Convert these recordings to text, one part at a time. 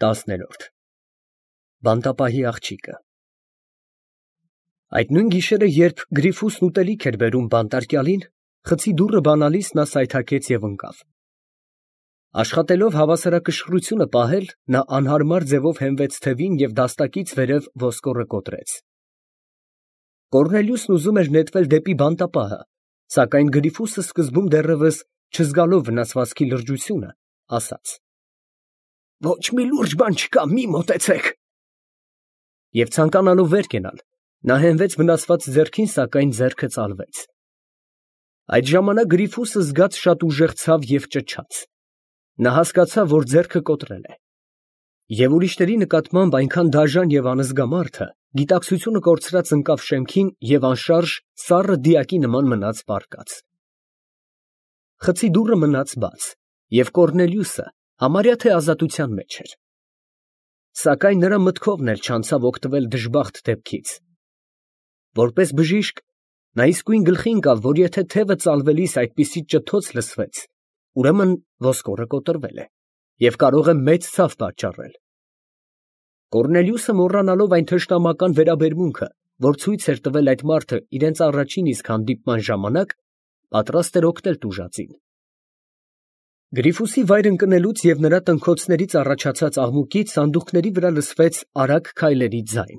10-րդ Բանտապահի աղջիկը Այդ նույն գիշերը, երբ Գրիֆուսն ուտելիք էր բերում բանտարկյալին, խցի դուռը բանալիս նա սայթաքեց և ընկավ։ Աշխատելով հավասարակշռությունը պահել, նա անհարմար ձևով հենվեց թևին և դաստակից վերև ոսկորը կոտրեց։ Կոռնելիուսն ուզում էր նետվել դեպի բանտապահը, սակայն Գրիֆուսը սկզբում դեռևս չզգալով վնասվածքի լրջությունը, ասաց. «Ոչ մի լուրջ բան չկա, մի մոտեցեք»։ Եվ ցանկանալով վեր կենալ, նա հենվեց վնասված ձեռքին, սակայն ձեռքը ծալվեց։ Այդ ժամանակ Գրիֆուսը զգաց շատ ուժեղ ցավ և ճչաց։ Նա հասկացավ, որ ձեռքը կոտրել է։ Եվ ուրիշների նկատմամբ այնքան դաժան և անզգա մարդը գիտակցությունը կորցրած ընկավ շեմքին և անշարժ սառը դիակի նման մնաց պառկած։ Խցի դուռը մնաց բաց, և Կոռնելիուսը համարյա թե ազատության մեջ էր։ Սակայն նրա մտքովն էլ չանցավ օգտվել դժբախտ դեպքից։ Որպես բժիշկ, նա իսկույն գլխի ընկավ, որ եթե թևը ծալվելիս այդպիսի ճթոց լսվեց, ուրեմն ոսկորը կոտրվել է և կարող է մեծ ցավ պատճառել։ Կոռնելիուսը, մոռանալով այն թշնամական վերաբերմունքը, որ ցույց էր տվել այդ մարդը իրենց առաջին իսկ հանդիպման ժամանակ, պատրաստ էր օգնել տուժածին։ Գրիֆուսի վայր ընկնելուց և նրա տնքոցներից առաջացած աղմուկից սանդուղքների վրա լսվեց արագ քայլերի ձայն,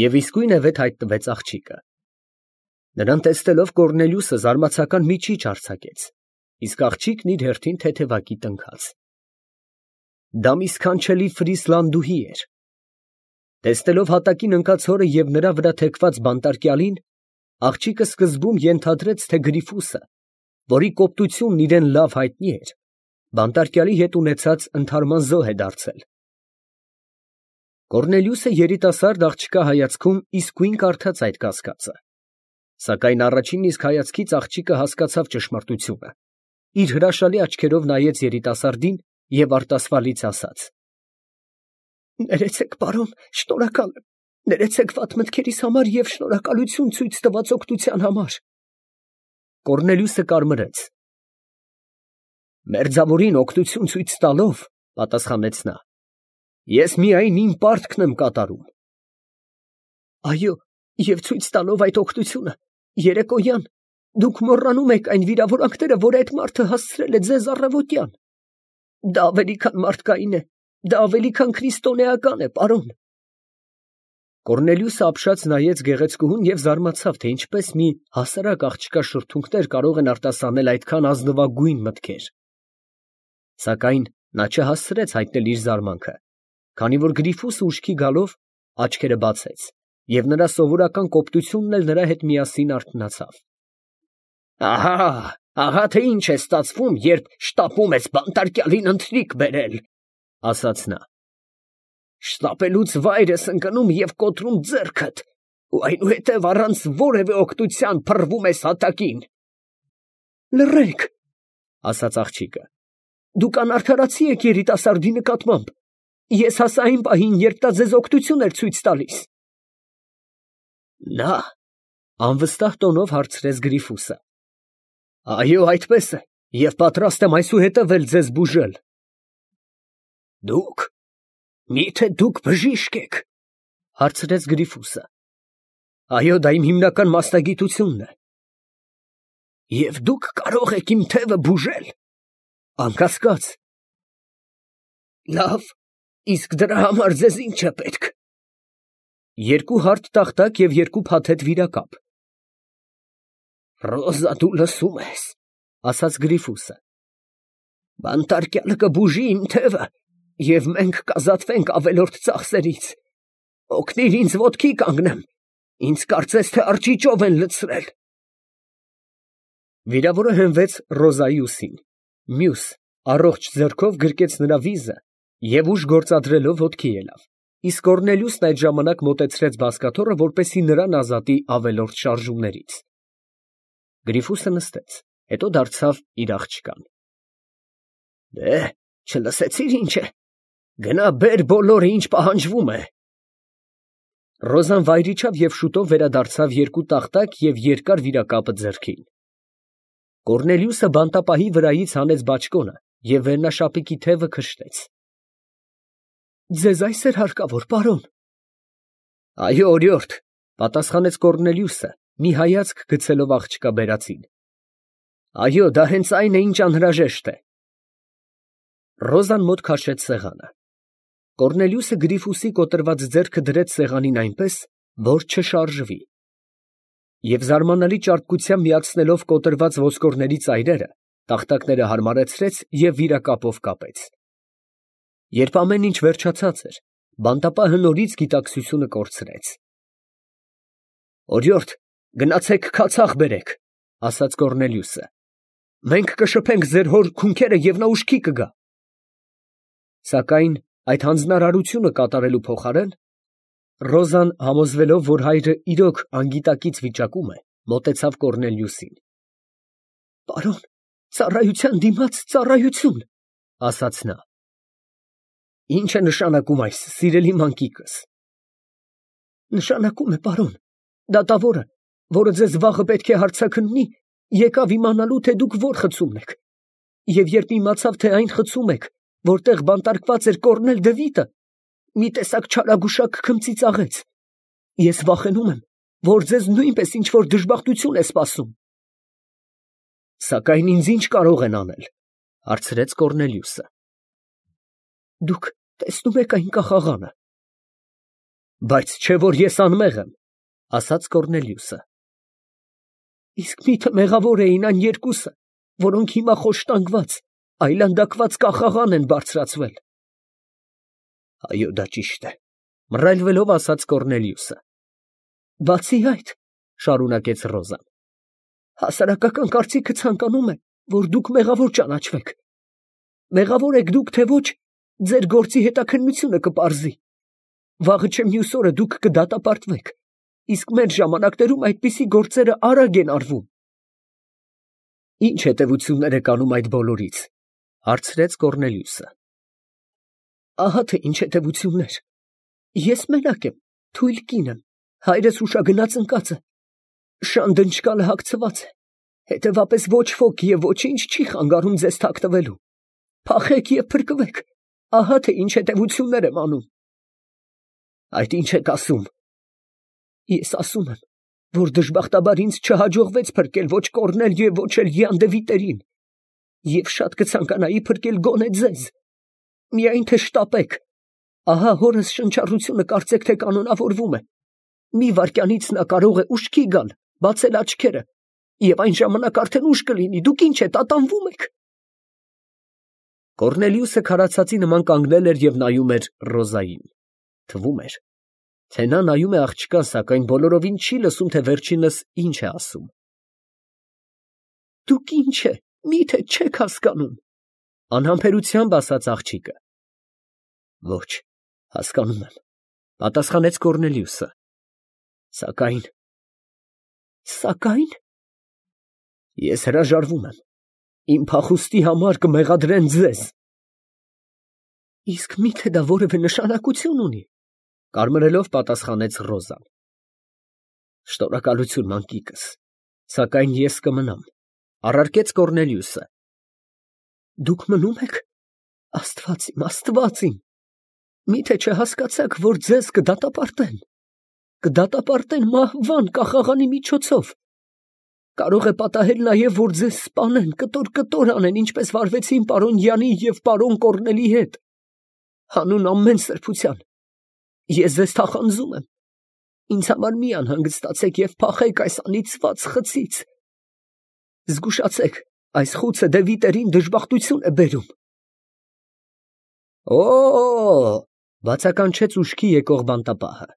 և իսկույն վետ հայտնվեց աղջիկը։ Նրան տեսնելով Կոռնելիուսը զարմացական միջիչ արձակեց, իսկ աղջիկն իր հերթին թեթևակի տնքաց։ Դա մի սքանչելի ֆրիսլանդուհի էր։ Տեսնելով հատակին ընկած հորը և նրա վրա թեքված բանտարկյալին, աղջիկը սկզբում ենթադրեց, թե Գրիֆուսը, որի կոպտությունն իրան լավ հայտնի էր, բանտարկյալի հետ ունեցած ընդհարման զոհ է դարձել։ Կոռնելիուսը երիտասարդ աղջկա հայացքում իսկույն կարդաց այդ կասկածը, սակայն առաջին իսկ հայացքից աղջիկը հասկացավ ճշմարտությունը, իր հրաշալի աչքերով նայեց երիտասարդին և արտասվալից ասաց. «Ներեցեք, պարոն, շնորհակալ եմ, ներեցեք վատ մտքերիս համար և շնորհակալություն ցույց տված օգնության համար»։ Կոռնելիուսը կարմրեց։ «Մերձավորին օգնություն ցույց տալով, ֊ պատասխանեց նա, ֊ ես միայն իմ պարտքն եմ կատարում»։ «Այո, և ցույց տալով այդ օգնությունը, երեկոյան դուք մոռանում եք այն վիրավորանքները, որ այդ մարդը հասցրել է ձեզ առավոտյան։ Դա ավելի քան մարդկային է, դա ավելի քան քրիստոնեական է, պարոն»։ Կոռնելիուսը ապշած նայեց գեղեցկուհուն և զարմացավ, թե ինչպես մի հասարակ աղջկա շրթունքներ կարող են արտասանել այդքան ազնվագույն մտքեր։ Սակայն նա չհասցրեց հայտնել իր զարմանքը, քանի որ Գրիֆուսը ուշքի գալով աչքերը բացեց, և նրա սովորական կոպտությունն էլ նրա հետ միասին արթնացավ։ «Ահա թե ինչ է ստացվում, երբ շտապում ես բանտարկյալին ընթրիք բերել», ֊ ասաց նա։ «Շտապելուց վայր ես ընկնում և կոտրում ձեռքդ, ու այնուհետև առանց որևէ օգնության փռվում ես հատակին»։ «Լռեք, ֊ ասաց աղջիկը, ֊ դուք անարդարացի եք երիտասարդի նկատմամբ. ես հասա այն պահին, երբ նա ձեզ օգնություն էր ցույց տալիս»։ Նա, ֊ անվստահ տոնով հարցրեց Գրիֆուսը, ֊ այո, այդպես է, և պատրաստ եմ այսուհետև էլ ձեզ բուժել։ Դուք, մի՞թե դուք բժիշկ եք, ֊ հարցրեց Գրիֆուսը։ Այո, դա իմ հիմնական մասնագիտությունն է։ Եվ դուք կարող եք իմ թևը բուժել։ Անկասկած։ Լավ, իսկ դրա համար ձեզ ինչ է պետք։ Երկու հարթ տախտակ և երկու փաթեթ վիրակապ։ Ռոզա, դու լսում ես, ֊ ասաց Գրիֆուսը։ Բանտարկյալը կբուժի իմ թևը, և մենք կազատվենք ավելորդ ծախսերից։ Օգնիր ինձ ոտքի կանգնեմ, ինձ կարծես թե արճիճով են լցրել։ Վիրավորը հենվեց Ռոզայի ուսին, մյուս առողջ ձեռքով գրկեց նրա վիզը և ուժ գործադրելով ոտքի ելավ, իսկ Կոռնելիուսն այդ ժամանակ մոտեցրեց բազկաթոռը, որպեսզի նրան ազատի ավելորդ շարժումներից։ Գրիֆուսը նստեց, հետո դարձավ իր աղջկան. Չլսեցի՞ր ինչ է, գնա բեր բոլորը, ինչ պահանջվում է։ Ռոզան վայր իջավ և շուտով վերադարձավ երկու տախտակ և երկար վիրակապը ձեռքին։ Կոռնելիուսը բանտապահի վրայից հանեց բաճկոնը և վերնաշապիկի թևը քշեց։ Ձեզ այս էր հարկավոր, պարոն։ Այո, օրիորդ, պատասխանեց Կոռնելիուսը, մի հայացք գցելով աղջկա բերածին։ Այո, դա հենց այն է, ինչ անհրաժեշտ է։ Ռոզան մոտ քաշեց սեղանը։ Կոռնելիուսը Գրիֆուսի կոտրված ձեռքը դրեց սեղանին այնպես, որ չշարժվի, և զարմանալի ճարպկությամբ միացնելով կոտրված ոսկորների ծայրերը, տախտակները հարմարեցրեց և վիրակապով կապեց։ Երբ ամեն ինչ վերջացած էր, բանտապահը նորից գիտակցությունը կորցրեց։ Օրիորդ, գնացեք քացախ բերեք, ասաց Կոռնելիուսը։ Մենք կշփենք ձեր հոր քունքերը և նա ուշքի կգա։ Սակայն այդ հանձնարարությունը կատարելու փոխարեն Ռոզան, համոզվելով, որ հայրը իրոք անգիտակից վիճակում է, մոտեցավ Կոռնելիուսին։ Պարոն, ծառայության դիմաց ծառայություն, ասաց նա։ Ինչ է նշանակում այս, սիրելի մանկիկս։ Նշանակում է, պարոն, դատավորը, որը ձեզ վաղը պետք է հարցաքննի, եկավ իմանալու, թե դուք որ խցումն եք, և երբ իմացավ, թե այն խցում եք, որտեղ բանտարկված էր Կոռնել Դևիթը, մի տեսակ չարագուշակ քմծիծաղեց։ Ես վախենում եմ, որ ձեզ նույնպես ինչ-որ դժբախտություն է սպասում։ Սակայն ինձ ինչ կարող են անել, հարցրեց Կոռնելիուսը։ Դուք տեսնում եք այն կախաղանը։ Բայց չէ որ ես անմեղ եմ, ասաց Կոռնելիուսը։ Իսկ միթե մեղավոր էին այն երկուսը, որոնք հիմա խոշտանգված, այլանդակված կախաղան են բարձրացվել։ Այո, դա ճիշտ է, մռայլվելով ասաց Կոռնելիուսը։ Բացի այդ, շարունակեց Ռոզան, հասարակական կարծիքը ցանկանում է, որ դուք մեղավոր ճանաչվեք։ Մեղավոր եք դուք, թե ոչ, ձեր գործի հետաքննությունը կպարզի։ Վաղը չէ մյուս օրը դուք կդատապարտվեք, իսկ մեր ժամանակներում այդպիսի գործերը արագ են արվում։ Ինչ հետևություններ եք անում այդ բոլորից, հարցրեց Կոռնելիուսը։ Ահա թե ինչ հետևություններ։ Ես մենակ եմ, թույլ կին եմ, հայրս հուշագնաց ընկած է, շան դնչկալը հագցված է, հետևապես ոչ ոք և ոչինչ չի խանգարում ձեզ թաքնվելու։ Փախեք և փրկվեք, ահա թե ինչ հետևություններ եմ անում։ Այդ ինչ եք ասում։ Ես ասում եմ, որ դժբախտաբար ինձ չհաջողվեց փրկել ոչ Կոռնել և ոչ էլ Յան Դևիթերին, և շատ կցանկանայի փրկել գոնե ձեզ։ Միայն թե շտապեք, ահա հորս շնչառությունը կարծեք թե կանոնավորվում է։ Մի վայրկյանից նա կարող է ուշքի գալ, բացել աչքերը, և այն ժամանակ արդեն ուշ կլինի, դուք ինչ եք, ատամվում եք։ Կոռնելիուսը քարացածի նման կանգնել էր և նայում էր Ռոզային։ Թվում էր, թե նա նայում է աղջկան, սակայն բոլորովին չի լսում, թե վերջինս ինչ է ասում։ Դուք ինչ է, միթե չեք հասկանում, անհամբերությամբ ասաց աղջիկը։ Ոչ, հասկանում եմ, պատասխանեց Կոռնելիուսը։ Սակայն ես հրաժարվում եմ, իմ փախուստի համար կմեղադրեն ձեզ։ Իսկ միթե դա որևէ նշանակություն ունի, կարմրելով պատասխանեց Ռոզան։ Շնորհակալություն, մանկիկս, սակայն ես կմնամ, առարկեց Կոռնելիուսը։ Դուք մնում եք։ Աստված իմ, միթե չհասկացաք, որ ձեզ կդատապարտեն։ Կդատապարտեն մահվան կախաղանի միջոցով։ Կարող է պատահել նաև, որ ձեզ սպանեն, կտոր անեն, ինչպես վարվեցին պարոն Յանի և պարոն Կոռնելի հետ։ Հանուն ամեն սրբության ես ձեզ թախանձում եմ։ Ինձ համար մի անհանգստացեք և փախեք այս անիծված խցից։ Զգուշացեք, այս խուցը Դևիթերին դժբախտություն է բերում։ Օ՜, բացականչեց ուշքի եկող բանտապահը։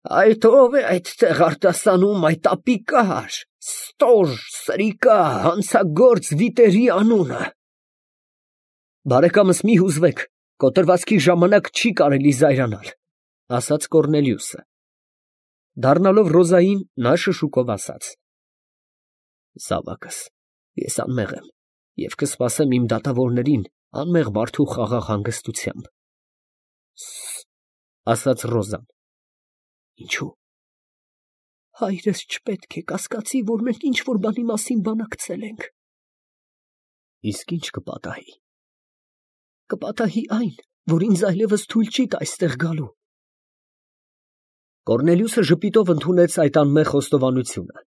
Այդ ո՞վ է այդտեղ արտասանում այդ ապիկար, ստոր, սրիկա, հանցագործ վիտերի անունը։ Բարեկամս, մի հուզվեք, կոտրվածքի ժամանակ չի կարելի զայրանալ, ասաց Կոռնելիուսը։ Դառնալով Ռոզային, նա շշուկով ասաց. Զավակս, ես անմեղ եմ և կսպասեմ իմ դատավորներին անմեղ մարդու խաղաղ հանգստությամբ։ Ասաց Ռոզան։ Ինչո՞ւ։ Հայրս չպետք է կասկածի, որ մենք ինչ-որ բանի մասին բանակցել ենք։ Իսկ ինչ կպատահի։ Կպատահի այն, որ ինձ այլևս թույլ չի տա այստեղ գալու։ Կոռնելիուսը ժպիտով ընդունեց այդ անմեղ խոստովանությունը,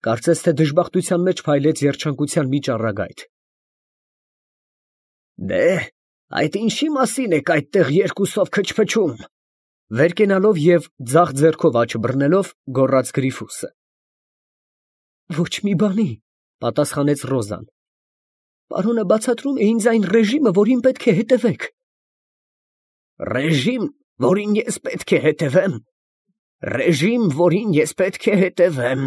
կարծես թե դժբախտության մեջ փայլեց երջանկության մի ճառագայթ։ Այդ ինչի մասին եք այդտեղ երկուսով քչփչում, վեր կենալով և ձախ ձեռքով աջ բռնելով, գոռաց Գրիֆուսը։ Ոչ մի բանի, պատասխանեց Ռոզան։ Պարոնը բացատրում է ինձ այն ռեժիմը, որին պետք է հետևեք։ Ռեժիմ, որին ես պետք է հետևեմ։ Ռեժիմ, որին ես պետք է հետևեմ։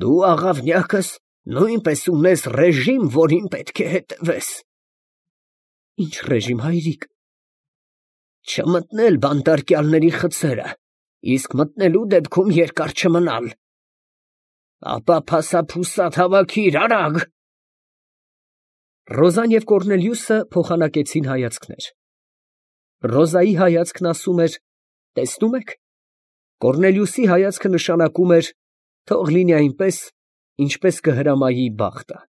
Դու աղավնյակս նույնպես ունես ռեժիմ, որին պետք է հետևես։ Ինչ ռեժիմ, հայրիկ։ Չմտնել բանտարկյալների խցերը, իսկ մտնելու դեպքում երկար չմնալ։ Ապա փասափուսատ հավաքիր, արագ։ Ռոզան և Կոռնելիուսը փոխանակեցին հայացքներ։ Ռոզայի հայացքն ասում էր. տեսնում եք։ Կոռնելիուսի հայացքը նշանակում էր. թող լինի այնպես, ինչպես կհրամայի բախտը։